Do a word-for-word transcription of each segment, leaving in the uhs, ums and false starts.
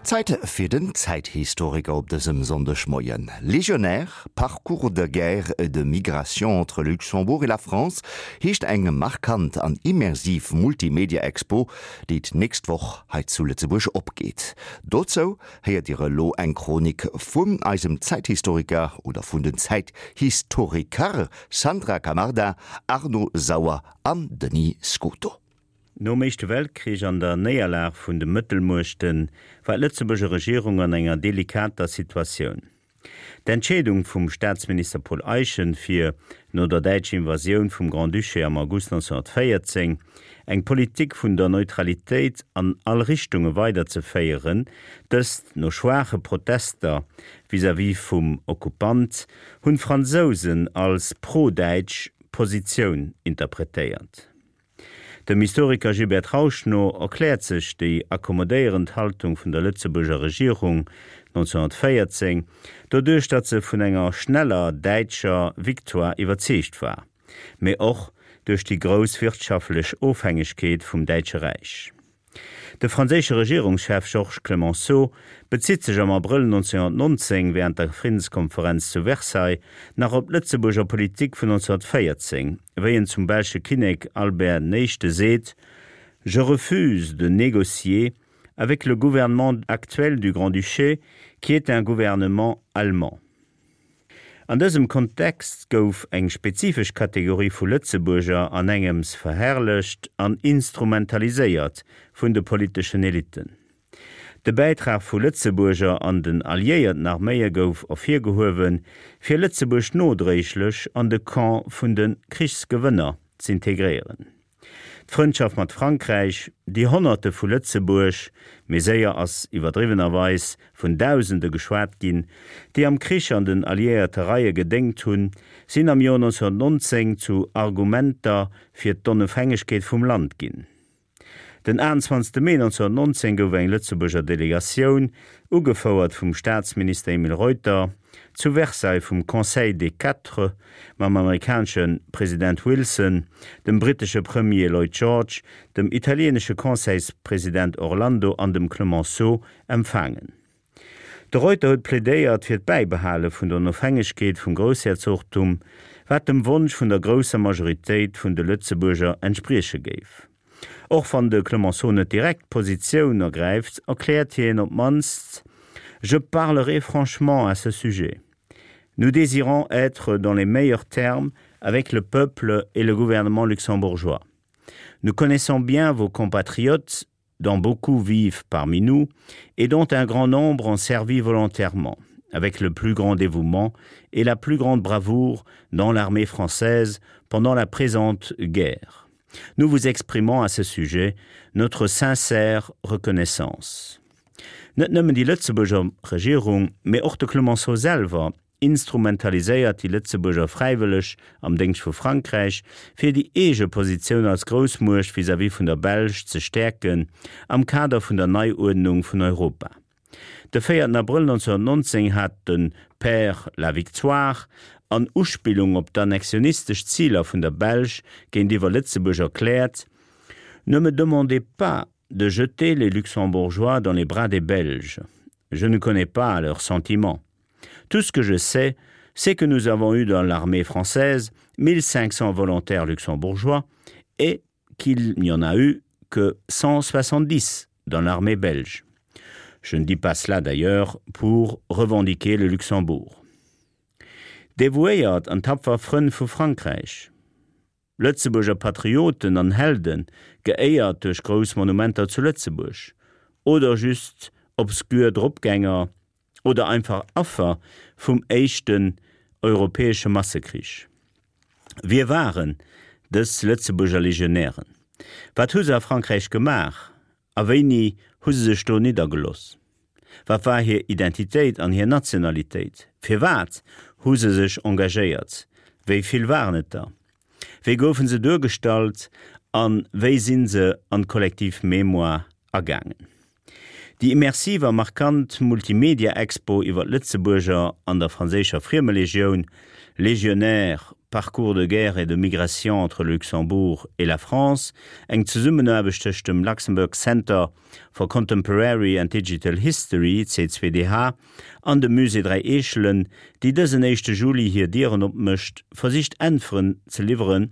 Zäit fir den Zäithistoriker op dësem Sonndegmoien. Légionnaires, parcours de guerre et de migration entre Luxembourg et la France heescht eng markant an immersiv Multimedia-Expo, déi d'nächst Woch hei zu Lëtzebuerg opgeet. Dozou héiert Dir elo eng Chronik vun eisem Zäithistoriker oder vun den Zäithistoriker Sandra Camarda, Arno Sauer an Denis Scuto. Nom Éischte Weltkrich an der Néierlag vun de Mëttelmuechte war d'Lëtzebuerger Regierung an enger delikater Situatioun. D'Entscheedung vum Staatsminister Paul Eyschen, fir, no der däitscher Invasioun vum Grand-Duché am August neunzehnhunnertvéierzéng, eng Politik vun der Neutralitéit an all Richtunge weiderzeféieren, dëst no schwaache Protester vis-à-vis vum Okkupant, hunn d'Fransousen als pro-däitsch Positioun interpretéiert. Dem Historiker Gilbert Trausch no erkläert sech déi akkommodéierend Haltung vun der Lëtzebuerger Regierung neunzehnhunnertvéierzéng doduerch, datt se vun enger schneller däitscher Victoire iwwerzeegt war, mee och duerch déi grouss wirtschaftlech Ofhängegkeet vum Däitsche Räich. De franséische Regierungschef Georges Clemenceau bezitt sech am Abrëll neunzehnhunnertnonzéng wärend der Friddenskonferenz zu Versailles nach op d'Lëtzebuerger Politik vun neunzehnhunnertvéierzéng, wéi en zum belsche Kinnek Albert den Éischte seet, Je refuse de négocier avec le gouvernement actuel du Grand-Duché, qui est un gouvernement allemand. An dësem Kontext gouf eng spezifesch Kategorie vu Lëtzebuerger an engems verherrlecht an instrumentaliséiert vun de politeschen Elitten. De Bäitrag vu Lëtzebuerger an den alliéierten Arméie gouf ervirgehuewen, fir Lëtzebuerg nodréiglech an de Camp vun de Krichsgewënner z'integréieren. D'Frëndschaft mat Frankräich, déi Honnerte vu Lëtzebuerg, mee séier ass iwwerdriwwenerweis vun Dausende geschwat ginn, déi am Krich an den alliéierte Reie gedéngt hunn, sinn am Joer neunzehnhunnertnonzéng zu Argumenter fir d'Onofhängegkeet vum Land ginn. Den achtenzwanzegste Mee neunzehnhunnertnonzéng gouf eng Lëtzebuerger Delegatioun, ugefouert vum Staatsminister Emile Reuter, zu Versailles vum Conseil des Quatre mam amerikanesche President Wilson, dem brittesche Premier Lloyd George, dem italieenesche Conseilspresident Orlando an dem Clemenceau empfaangen. De Reuter huet plädéiert fir d'Bäibehale vun der Onofhängegkeet vum Groussherzogtum, wat dem Wonsch vun der grousser Majoritéit vun de Lëtzebuerger entsprieche géif. Och wann de Clemenceau net direkt Positioun ergräift, erkläert hien op d'mannst, Je parlerai franchement à ce sujet. Nous désirons être dans les meilleurs termes avec le peuple et le gouvernement luxembourgeois. Nous connaissons bien vos compatriotes, dont beaucoup vivent parmi nous et dont un grand nombre ont servi volontairement, avec le plus grand dévouement et la plus grande bravoure dans l'armée française pendant la présente guerre. Nous vous exprimons à ce sujet notre sincère reconnaissance. Net nëmmen déi Lëtzebuerger Regierung, mee och de Clemenceau selwer instrumentaliséiert déi Lëtzebuerger Fräiwëlleg am Déngscht vu Frankräich, fir déi eege Positioun als Groussmuecht vis-à-vis vun der Belsch ze stäerken am Kader vun der Neiuerdnung vun Europa. De véierten Abrëll neunzehnhunnertnonzéng hat de Père Lavictoire an Uspillung op d'annexionistesch Ziler vun der Belsch géintiwwer Lëtzebuerg erkläert, Ne me demandez pas de jeter les Luxembourgeois dans les bras des Belges. Je ne connais pas leurs sentiments. Tout ce que je sais, c'est que nous avons eu dans l'armée française mille cinq cents volontaires luxembourgeois et qu'il n'y en a eu que cent soixante-dix dans l'armée belge. Je ne dis pas cela d'ailleurs pour revendiquer le Luxembourg. Devouéiert an tapfer Frënn vu Frankräich. Lëtzebuerger Patrioten an Helden, geéiert duerch grouss Monumenter zu Lëtzebuerg, oder just obskur Dropgänger oder einfach Affer vum éischten europäesche Massekrich. Wie waren dës Lëtzebuerger Legionären? Wat hu se a Frankräich gemaach a wéini hu se sech do niddergelooss? Wat war hir Identitéit an hir Nationalitéit? Firwat hu se sech engagéiert? Wéi vill waren et der? Wéi goufe se duergestallt a wéi si se an d'kollektiv Mémoire agaangen? Déi immersiv a markant Multimedia-Expo iwwer d'Lëtzebuerger an der franséischer Friemelegioun, Légionnaires, Parcours de guerre et de migration entre Luxembourg et la France, eng Zesummenaarbecht tëscht dem Luxembourg Center for Contemporary and Digital History C zwei D H an dem Musée Dräi Eechelen, déi dësen éischte Juli hir Dieren opmécht, versicht Äntweren ze liwweren,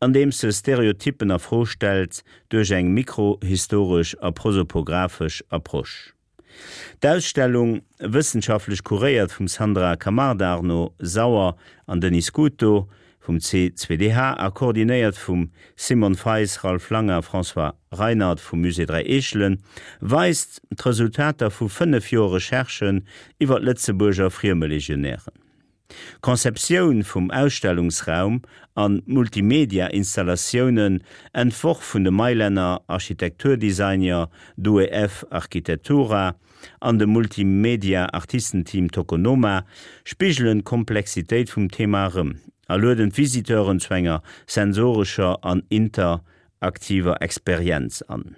andeems se Stereotyppen a Fro stellt duerch eng mikrohistoresch a prosopographesch Approche. D'Ausstellung, wëssenschaftlech kuréiert vum Sandra Camarda, Arnaud Sauer an Denis Scuto vum C zwei D H a koordinéiert vum Simon Feis, Ralph Langer a François Reinert vum Musée Dräi Eechelen, weist d'Resultater vu fënnef Joer Recherchen iwwer d'Lëtzebuerger Friemelegionären. D'Konzeptioun vum Ausstellungsraum an Multimedia-Installatiounen, entworf vun de Mailänner Architekturdesigner Due F Architettura an dem Multimedia-Artistenteam Tokonoma, spigelen d'Komplexitéit vum Thema erëm a lueden d'Visiteuren zu enger sensorescher an interaktiver Experienz an.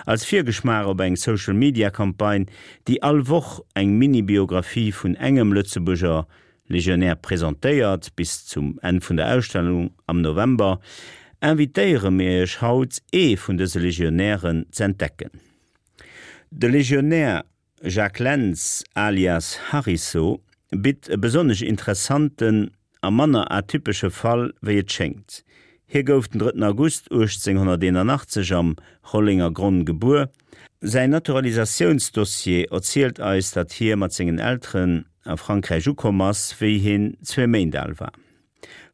Als Virgeschmaach op eng Social-Media-Campagne, déi all Woch eng Mini-Biographie vun engem Lëtzebuerger Legionär presentéiert, bis zum Enn vun der Ausstellung am November, invitéiere mir iech haut, ee vun dëse Legionären z'entdecken. De Legionär Jacques Lentz alias Harisso bitt e besonnesch interessanten a manner atypesche Fall, wéi et schéngt. Hie gouf den drëtten August uechtzénghonnerteenanachtzeg am Rollengergronn gebuer. Säin Naturalisatiounsdossier erzielt eis, datt hie mat sengen Elteren a Frankräich ukomm ass, wéi hien zwee Méint al war.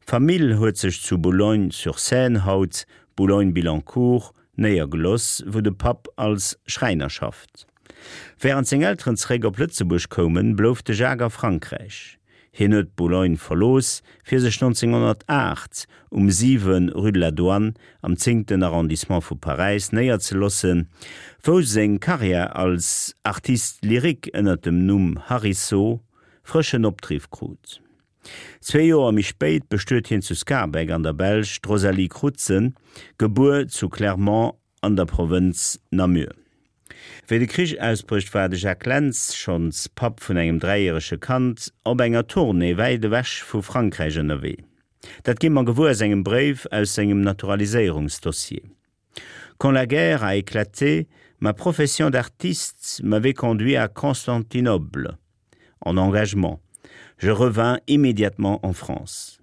D'Famill huet sech zu Boulogne-sur-Seine, haut Boulogne-Billancourt, néiergelooss, wou de Papp als Schräiner schafft. Wärend seng Elteren zeréck op Lëtzebuerg koumen, blouf de Jacques a Frankräich. Hien huet Boulogne verlooss, fir sech nonzénghonnertaacht um siwen rue de la Douane am zéngten Arrondissement vu Paräis néierzeloossen, wou seng Karriär als Artiste lyrique ënner dem Numm Harisso frëschen Opdriff krut. Zwee Joer méi spéit bestuet hien zu Schaerbeek an der Belsch d'Rosalie Crutzen, gebuer zu Clermont an der Provënz Namur. Wéi de Krich ausbrécht, war de Jacques Lentz, schonns Papp vun engem dräijärege Kand, op enger Tournée wäit ewech vu Frankräich ënnerwee. Dat gi mer gewuer aus engem Bréif aus sengem Naturaliséierungsdossier. Quand la guerre a éclaté, ma profession d'artiste m'avait conduit à Constantinople en engagement. Je revins immédiatement en France.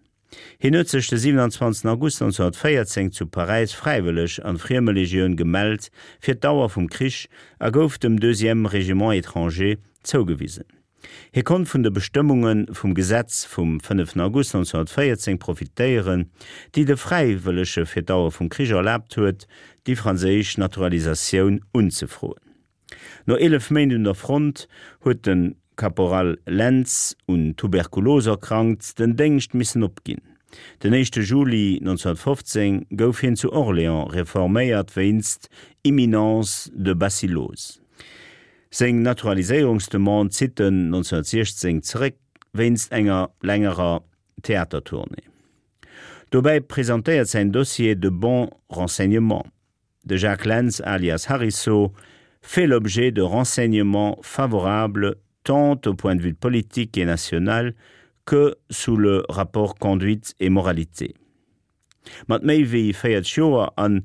Hien huet sech de siewenanzwanzegsten August nonzénghonnertvéierzéng zu Paräis fräiwëlleg an d'Friemelegioun gemellt fir d'Dauer vum Krich a gouf dem Deuxième Régiment étranger zougewisen. Hie konnt vun de Bestëmmunge vum Gesetz vum fënneften August nonzénghonnertvéierzéng profitéieren, déi de Fräiwëllege fir d'Dauer vum Krich erlaabt huet, déi franséisch Naturalisatioun unzefroen. No eelef Méint un der Front huet de Caporal Lentz, un Tuberkulos erkrankt, den Déngscht missen opginn. Den éischte Juli nonzénghonnertfofzéng gouf hien zu Orléans reforméiert wéinst Imminence de Bacillose. Seng Naturaliséierungsdemande zitt en nonzénghonnertsiechzéng zeréck wéinst enger längerer Theatertournée. Dobäi presentéiert säin Dossier de bons renseignements. De Jacques Lentz alias Harisso fait l'objet de renseignements favorables tant au point de vue politique et national que sous le rapport conduite et moralité. Mat méi wéi véierzeg Joer an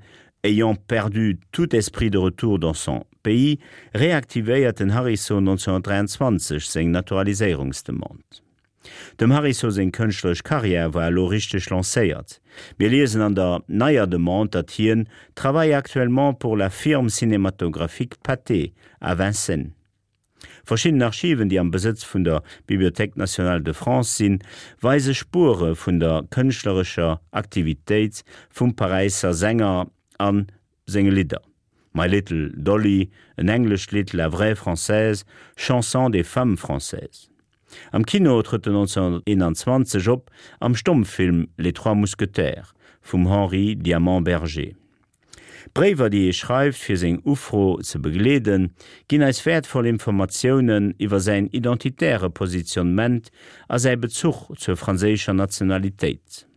ayant perdu tout esprit de retour dans son pays, reaktivéiert den Harisso nonzénghonnertdräianzwanzeg seng Naturaliséierungsdemande. Dem Harisso seng kënschtleresch Karriär war elo richteg lancéiert. Mir liesen an der neier Demande, datt hien travaille actuellement pour la firme cinématographique Pathé à Vincennes. Verschidden Archiven, déi am Besëtz vun der Bibliothèque nationale de France sinn, weise Spuere vun der kënschtlerescher Aktivitéit vum Paräisser Sänger a senge Lidder. My Little Dolly, en englescht Lidd, La vraie Française, Chanson des femmes françaises. Am Kino trëtt en nonzénghonnerteenanzwanzeg op am Stommfilm Les Trois Mousquetaires vum Henri Diamant-Berger. D'Bréiwer, déi e schreift, fir seng Ufro ze begleeden, ginn eis wäertvoll Informatiounen iwwer säin identitäre Positionnement a säi Bezuch zur franséischer Nationalitéit.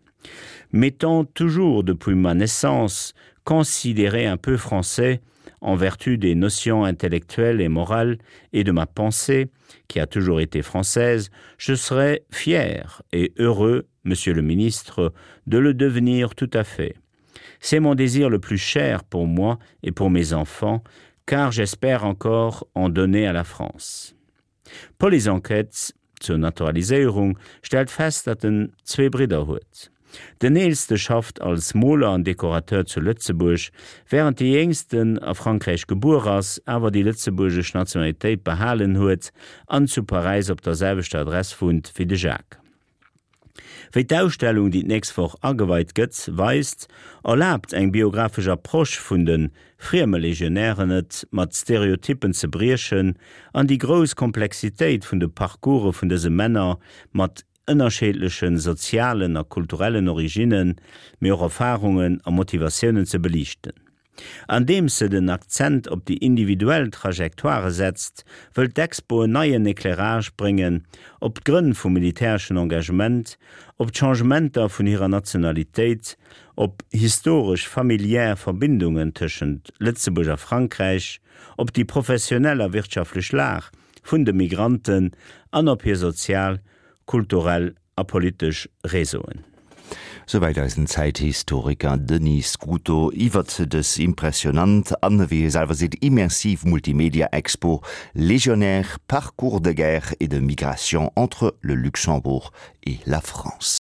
M'étant toujours depuis ma naissance considéré un peu français, en vertu des notions intellectuelles et morales et de ma pensée, qui a toujours été française, je serais fier et heureux, monsieur le ministre, de le devenir tout à fait. C'est mon désir le plus cher pour moi et pour mes enfants, car j'espère encore en donner à la France. Police-Enquête zur Naturaliséierung stellt fest, datt en zwee Bridder huet. Den eelste schafft als Moler an Dekorateur zu Lëtzebuerg, wärend dee jéngsten a Frankräich gebuer ass, awer déi lëtzebuergesch Nationalitéit behalen huet an zu Paräis op der selwechter Adress wunnt wéi de Jacques. Wéi d'Ausstellung, déi d'nächst Woch ageweit gëtt, weist, erlaabt eng biografesch Approche vun de Friemelegionären et, mat Stereotyppen ze briechen an déi grouss Komplexitéit vun de Parcourse vun dëse Männer mat ënnerschiddleche sozialen a kulturellen Originnen, mee och Erfarungen a Motivatiounen ze beliichten. Andeems se den Akzent op déi individuell Trajectoire setzt, wëll d'Expo en neien Éclairage bréngen op d'Grënn vum militäreschen Engagement, op d'Changementer vun hirer Nationalitéit, op historesch familiär Verbindungen tëschent Lëtzebuerg a Frankräich, op déi professionell a wirtschaftlech Lag vun de Migranten an op hir sozial, kulturell a politesch Réseauen. Souwäit eisen Zäithistoriker Denis Scuto iwwert dës impressionant an, wéi hie selwer seet, immersiv Multimedia-Expo Légionnaires, parcours de guerre et de migration entre le Luxembourg et la France.